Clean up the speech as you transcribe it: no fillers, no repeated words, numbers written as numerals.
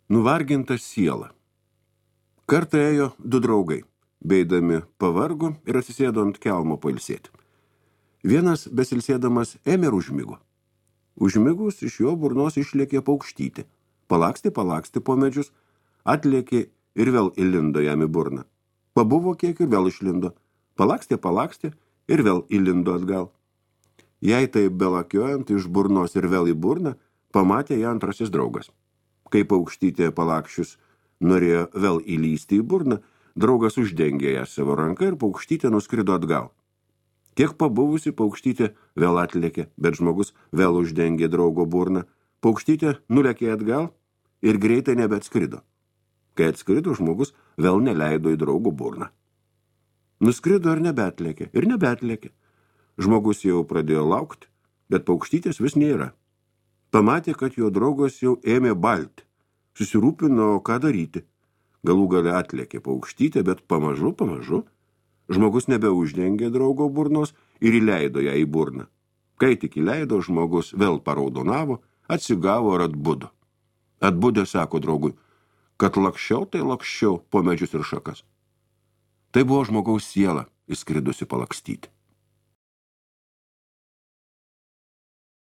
Nuvarginta siela. Kartą ėjo du draugai, beidami pavargo ir atsisėdo ant kelmo pailsėti. Vienas besilsėdamas ėmė ir užmigo. Užmigus iš jo burnos išlėkė paukštytė. Palakstė po medžius, atlėkė ir vėl įlindo jam į burną. Pabuvo kiek ir vėl išlindo. Palakstė ir vėl įlindo atgal. Jei tai belakiojant iš burnos ir vėl į burną, pamatė ją antrasis draugas. Kai paukštytė palakščius norėjo vėl įlysti į burną, draugas uždengė ją savo ranką ir paukštytė nuskrido atgal. Kiek pabuvusi paukštytė vėl atlėkė, bet žmogus vėl uždengė draugo burną. Paukštytė nulėkė atgal ir greitai nebeatskrido. Kai atskrido, žmogus vėl neleido į draugo burną. Nuskrido ir nebeatlėkė. Žmogus jau pradėjo laukti, bet paukštytės vis nėra. Pamatė, kad jo draugas jau ėmė balti. Susirūpino, ką daryti. Galų gale atlėkė paukštytė, bet pamažu žmogus nebeuždengė draugo burnos ir įleido ją į burną. Kai tik įleido, žmogus vėl paraudonavo, atsigavo ir atbudo. Atbudė sako draugui, kad lakščiau po medžius ir šakas. Tai buvo žmogaus siela įskridusi palakstyti.